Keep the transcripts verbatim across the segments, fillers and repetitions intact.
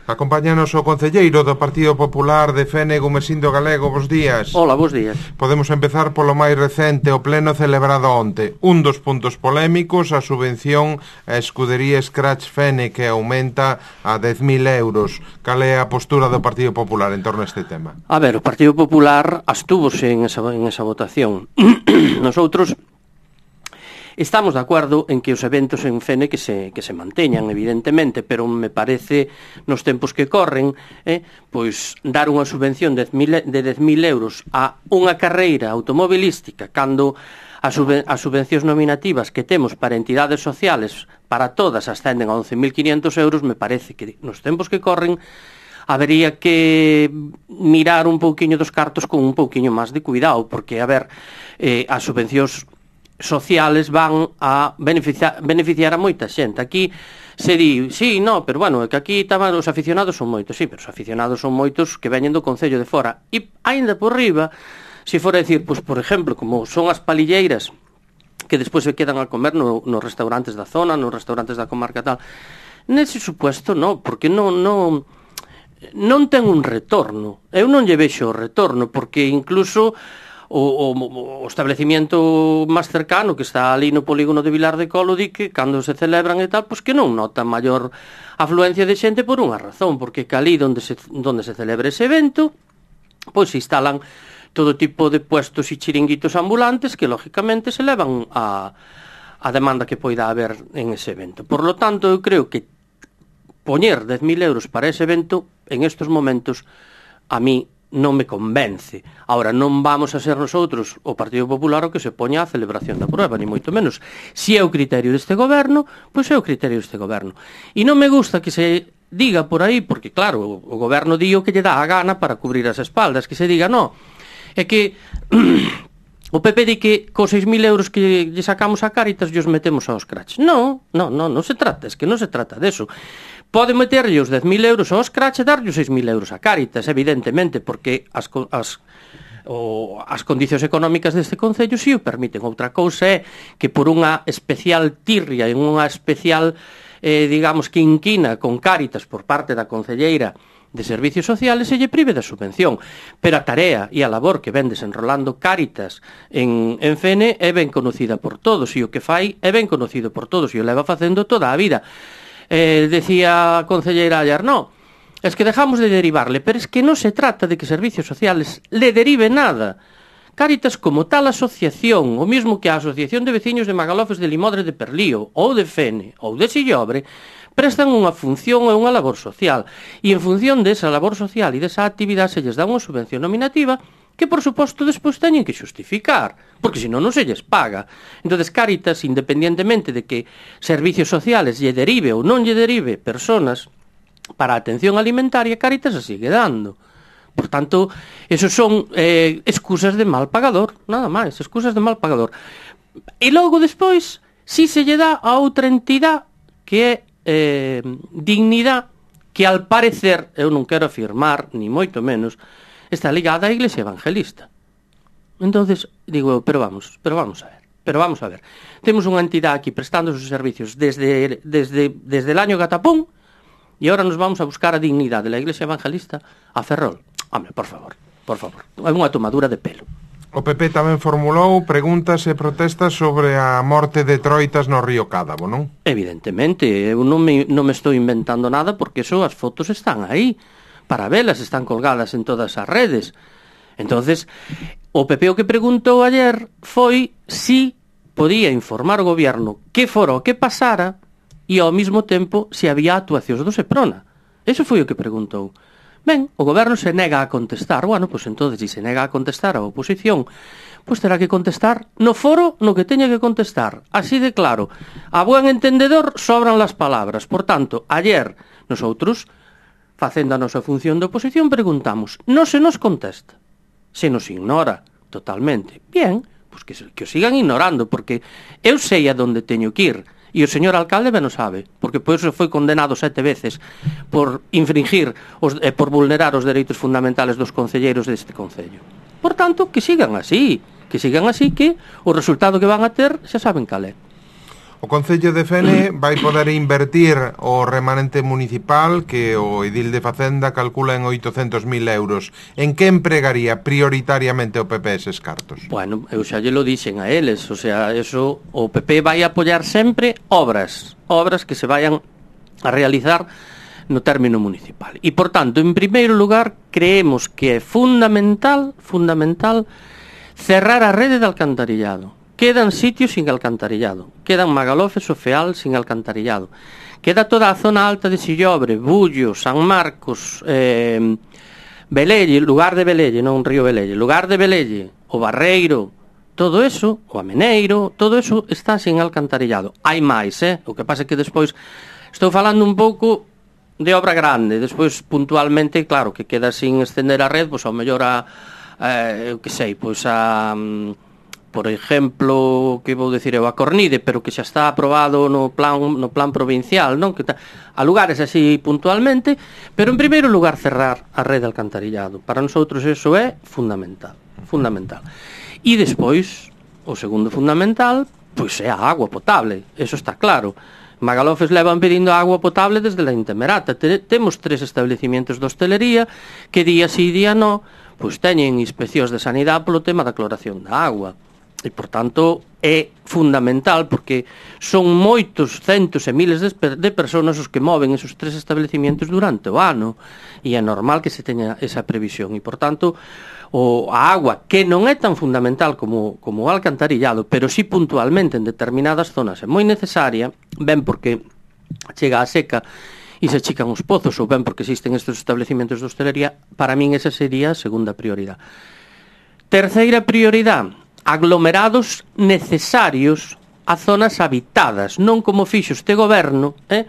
Acompáñanos o concelleiro do Partido Popular de Fene, Gumesindo Galego. Bos días. Hola, bos días. Podemos empezar polo máis recente, o pleno celebrado onte. Un dos puntos polémicos, a subvención a escudería Scratch Fene, que aumenta a dez mil euros. Cal é a postura do Partido Popular en torno a este tema? A ver, o Partido Popular abstúvose en esa, en esa votación. Nosotros estamos de acordo en que os eventos en Fene que se, que se manteñan, evidentemente, pero me parece, nos tempos que corren, eh, pois dar unha subvención de dez mil euros a unha carreira automobilística cando as, subven as subvencións nominativas que temos para entidades sociales para todas ascenden a once mil quinientos euros, me parece que nos tempos que corren habería que mirar un pouquiño dos cartos con un pouquiño máis de cuidado, porque, a ver, eh, as subvencións sociales van a beneficiar, beneficiar a moita xente. Aquí se di, sí, no, pero bueno, é que aquí taban, os aficionados son moitos, sí, pero os aficionados son moitos que veñen do Concello de fora. E aínda por riba, se fora decir, pois, por exemplo, como son as palilleiras que despois se quedan a comer no, nos restaurantes da zona, nos restaurantes da comarca tal, nese supuesto non, porque non, non, non ten un retorno. Eu non lle vexo o retorno, porque incluso O, o, o establecimiento máis cercano que está ali no polígono de Vilar de Colo di que cando se celebran e tal, pois que non nota maior afluencia de xente por unha razón, porque que ali donde se, donde se celebra ese evento, pois se instalan todo tipo de puestos e chiringuitos ambulantes que lógicamente se levan a, a demanda que poida haber en ese evento. Por lo tanto, eu creo que poñer dez mil euros para ese evento en estos momentos a mí non me convence. Ahora, non vamos a ser nosotros, o Partido Popular, o que se poña a celebración da prueba, ni moito menos. Si é o criterio deste goberno, pois é o criterio deste goberno. E non me gusta que se diga por aí, porque claro, o goberno di o que lle dá a gana para cubrir as espaldas, que se diga, no, é que o P P di que cos seis mil euros que lle sacamos a Cáritas os metemos aos Scratch. Non, non, non, non se trata, es que non se trata deso. Pode meterlle os dez mil euros ao Scratch e darlle os seis mil euros a Cáritas, evidentemente, porque as, as, o, as condicións económicas deste Concello si o permiten. Outra cousa é que por unha especial tirria e unha especial, eh, digamos, quinquina con Cáritas por parte da concelleira de Servicios Sociales se lle prive da subvención. Pero a tarea e a labor que ven desenrolando Cáritas en, en Fene é ben conocida por todos, e o que fai é ben conocido por todos, e o leva facendo toda a vida. Eh, decía a concelleira Allar, no, es que dejamos de derivarle, pero es que non se trata de que Servicios Sociales le derive nada. Cáritas, como tal asociación, o mismo que a Asociación de Veciños de Magalofes de Limodre de Perlío, ou de Fene, ou de Sillobre, prestan unha función e unha labor social, e en función desa labor social e desa actividade se lles dá unha subvención nominativa que, por suposto, despois teñen que xustificar, porque senón non se lles paga. Entonces, Cáritas, independientemente de que Servicios Sociales lle derive ou non lle derive personas para a atención alimentaria, Cáritas a sigue dando. Por tanto, esos son eh, excusas de mal pagador, nada máis, excusas de mal pagador. E logo, despois, si se lle dá a outra entidade que é eh, Dignidade, que al parecer, eu non quero afirmar, ni moito menos, está ligada á Iglesia Evangelista. Entonces, digo eu, pero vamos, pero vamos a ver, pero vamos a ver. Temos unha entidade aquí prestando os servicios desde, desde, desde el año Gatapón e agora nos vamos a buscar a Dignidade de la Iglesia Evangelista a Ferrol. Home, por favor, por favor, é unha tomadura de pelo. O P P tamén formulou preguntas e protestas sobre a morte de troitas no río Cádabo, non? Evidentemente, eu non me, non me estou inventando nada, porque eso, as fotos están aí para velas, están colgadas en todas as redes. Entonces, o P P o que preguntou ayer foi si podía informar o goberno que fora o que pasara e ao mesmo tempo se había actuacións do Seprona. Eso foi o que preguntou. Ben, o goberno se nega a contestar. Bueno, pois entonces, se se nega a contestar a oposición, pois terá que contestar no foro no que teña que contestar. Así de claro. A buen entendedor sobran las palabras. Por tanto, ayer, nosotros, facendo a nosa función de oposición, preguntamos. Non se nos contesta. Se nos ignora totalmente. Bien, pois que, que o sigan ignorando, porque eu sei a donde teño que ir. E o señor alcalde ben o sabe, porque por eso foi condenado sete veces por infringir, os, eh, por vulnerar os dereitos fundamentales dos concelleiros deste concello. Por tanto, que sigan así, que sigan así, que o resultado que van a ter xa saben cal é. O Concello de Fene vai poder invertir o remanente municipal que o edil de Facenda calcula en oitocentos mil euros. En que empregaría prioritariamente o P P eses cartos? Bueno, eu xa lle lo dixen a eles, o sea, eso o P P vai apoiar sempre obras, obras que se vayan a realizar no término municipal. E, por tanto, en primeiro lugar, creemos que é fundamental, fundamental, cerrar a rede de alcantarillado. Quedan sitios sin alcantarillado, quedan Magalofes o Feal sin alcantarillado, queda toda a zona alta de Sillobre, Bullo, San Marcos, eh, Velelle, lugar de Velelle, non Río Velelle, lugar de Velelle, o Barreiro, todo eso, o Ameneiro, todo eso está sin alcantarillado. Hai máis, eh? O que pasa é que despois estou falando un pouco de obra grande, despois puntualmente, claro, que queda sin estender a red, pois ao mellor a, eh, eu que sei, pois a... por exemplo, que vou dicir eu, a Cornide, pero que xa está aprobado no plan no plan provincial, non? Que ta, a lugares así puntualmente, pero en primeiro lugar cerrar a rede de alcantarillado. Para nosotros eso é fundamental, fundamental. E despois, o segundo fundamental, pois é a agua potable, eso está claro. Magalofes levan pedindo agua potable desde la Intemerata. Te, temos tres establecimientos de hostelería que día sí día no, pois teñen inspeccións de sanidade polo tema da cloración da agua. E, por tanto, é fundamental porque son moitos centos e miles de, de personas os que moven esos tres establecimientos durante o ano e é normal que se teña esa previsión e, por tanto, o, a agua, que non é tan fundamental como, como o alcantarillado, pero sí puntualmente en determinadas zonas é moi necesaria, ben porque chega a seca e se achican os pozos ou ben porque existen estes establecimientos de hostelería, para min esa sería a segunda prioridade. Terceira prioridade, aglomerados necesarios a zonas habitadas, non como fixo este goberno, eh,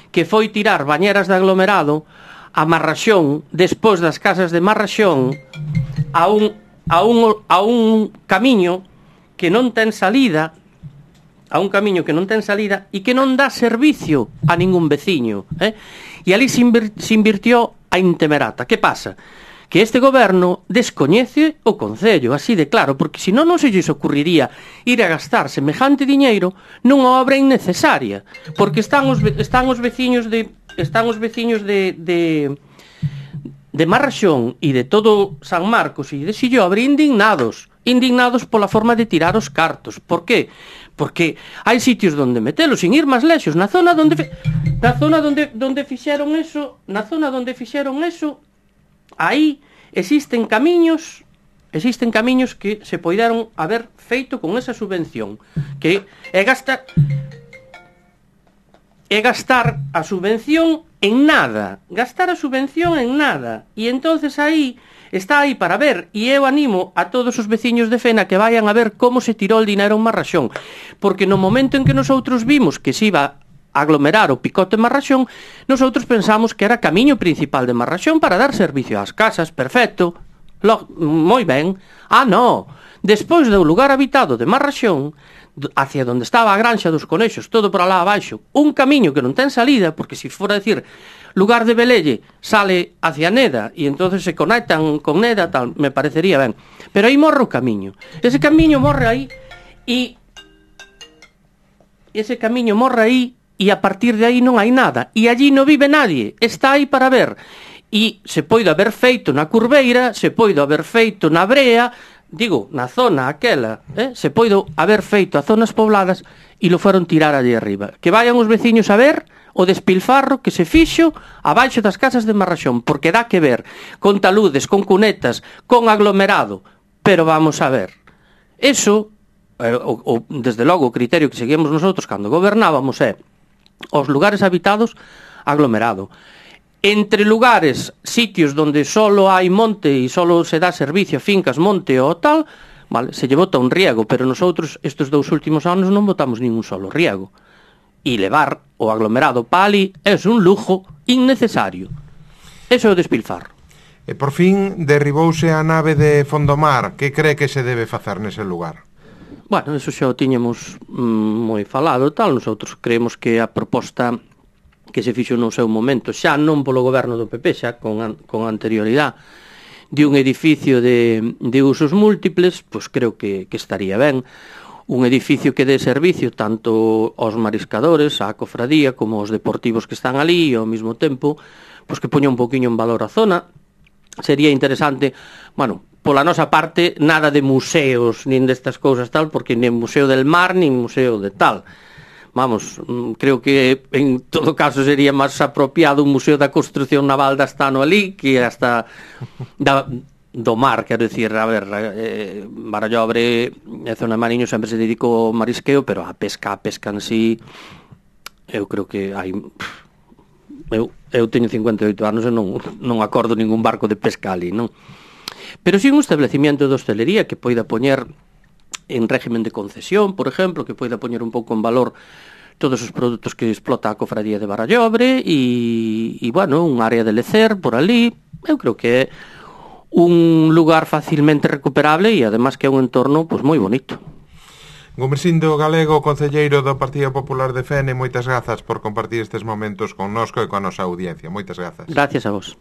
que foi tirar bañeras de aglomerado a Marraxón, despois das casas de Marraxón, a un, a un, a un camiño que non ten salida, a un camiño que non ten salida e que non dá servicio a ningún veciño, eh? E ali se, invir, se invirtió a Intemerata. Que pasa? Que este goberno descoñece o Concello, así de claro, porque senón non se lles ocurriría ir a gastar semejante diñeiro nunha obra innecesaria, porque están os, están os veciños de están os veciños de, de, de Marraxón e de todo San Marcos e de Sillobre indignados, indignados pola forma de tirar os cartos. Por qué? Porque hai sitios onde metelos, sin ir máis lexos, na zona onde na zona onde onde fixeron eso, na zona onde fixeron eso, aí existen camiños, existen camiños que se poideron haber feito con esa subvención, que é gastar é gastar a subvención en nada, gastar a subvención en nada, e entonces aí está aí para ver, e eu animo a todos os veciños de Fena que vayan a ver como se tirou o dinero en Marraxón, porque no momento en que nosotros vimos que se iba aglomerar o picote Marraxón, nosotros pensamos que era camiño principal de Marraxón para dar servicio ás casas, perfecto, lo, moi ben. Ah, no, despois do lugar habitado de Marraxón, hacia donde estaba a granxa dos conexos, todo por alá abaixo, un camiño que non ten salida, porque se fora a decir lugar de Velelle sale hacia Neda e entonces se conectan con Neda, tal, me parecería ben, pero aí morre o camiño, ese camiño morre aí e ese camiño morre aí e a partir de aí non hai nada, e allí non vive nadie, está aí para ver, e se poido haber feito na Curveira, se poido haber feito na Brea, digo, na zona aquela, eh, se poido haber feito a zonas pobladas e lo foron tirar allí arriba. Que vayan os veciños a ver o despilfarro que se fixo abaixo das casas de Marraxón, porque dá que ver con taludes, con cunetas, con aglomerado, pero vamos a ver, eso, eh, o, o, desde logo o criterio que seguimos nosotros cando gobernábamos é os lugares habitados aglomerado. Entre lugares, sitios donde solo hai monte e solo se dá servicio a fincas, monte ou tal, vale, se lle bota un riego, pero nosotros estes dous últimos anos non botamos ningún solo riego. E levar o aglomerado pa ali é un lujo innecesario. Eso é o despilfarro. E por fin derribouse a nave de Fondomar. Que cree que se debe facer nese lugar? Bueno, eso xa o tiñamos mm, moi falado tal. Nosotros creemos que a proposta que se fixo no seu momento, xa non polo goberno do P P, xa con, an, con anterioridade, de un edificio de, de usos múltiples, pois creo que, que estaría ben. un edificio que dé servicio tanto aos mariscadores, á cofradía, como aos deportivos que están ali, e ao mesmo tempo, pois que poña un poquinho en valor a zona. Sería interesante, bueno, pola nosa parte, nada de museos, nin destas cousas tal, porque nin Museo del Mar, nin Museo de tal. Vamos, creo que en todo caso sería máis apropiado un museo da construcción naval da Astano ali, que hasta da... do mar, quero dicir, a ver, eh, Barallobre e zona de Mariño sempre se dedicou ao marisqueo, pero a pesca, a pesca en sí, eu creo que hai... Eu, eu teño cincuenta e oito anos e non, non acordo ningún barco de pesca ali, non? Pero si un establecimiento de hostelería que poida poñer en régimen de concesión, por exemplo, que poida poñer un pouco en valor todos os produtos que explota a cofradía de Barallobre e, e bueno, un área de lecer por ali, eu creo que é un lugar facilmente recuperable e además que é un entorno pois moi bonito. Gumersindo Galego, concelleiro do Partido Popular de Fene, moitas grazas por compartir estes momentos connosco e coa nosa audiencia. Moitas grazas. Gracias a vos.